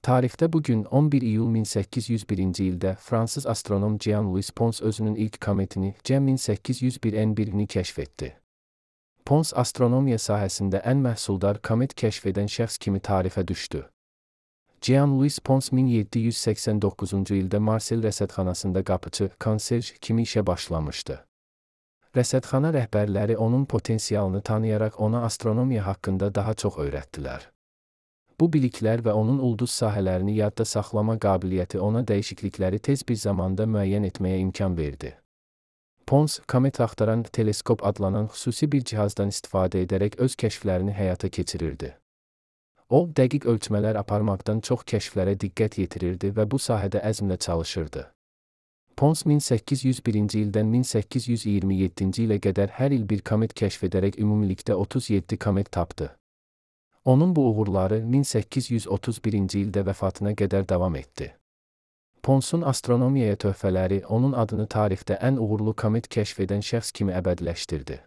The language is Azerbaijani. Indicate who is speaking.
Speaker 1: Tarixdə bugün 11 iyul 1801-ci ildə Fransız astronom Jean-Louis Pons özünün ilk kometini Cem 1801N1-ni kəşf etdi. Pons astronomiya sahəsində ən məhsuldar komet kəşf edən şəxs kimi tarixə düşdü. Jean-Louis Pons 1789-cu ildə Marsel rəsədxanasında qapıçı, konserj kimi işə başlamışdı. Rəsədxana rəhbərləri onun potensialını tanıyaraq ona astronomiya haqqında daha çox öyrətdilər. Bu biliklər və onun ulduz sahələrini yadda saxlama qabiliyyəti ona dəyişiklikləri tez bir zamanda müəyyən etməyə imkan verdi. Pons, komet axtaran teleskop adlanan xüsusi bir cihazdan istifadə edərək öz kəşflərini həyata keçirirdi. O, dəqiq ölçmələr aparmaqdan çox kəşflərə diqqət yetirirdi və bu sahədə əzmlə çalışırdı. Pons 1801-ci ildən 1827-ci ilə qədər hər il bir komet kəşf edərək ümumilikdə 37 komet tapdı. Onun bu uğurları 1831-ci ildə vəfatına qədər davam etdi. Ponsun astronomiyaya töhfələri onun adını tarixdə ən uğurlu komet kəşf edən şəxs kimi əbədiləşdirdi.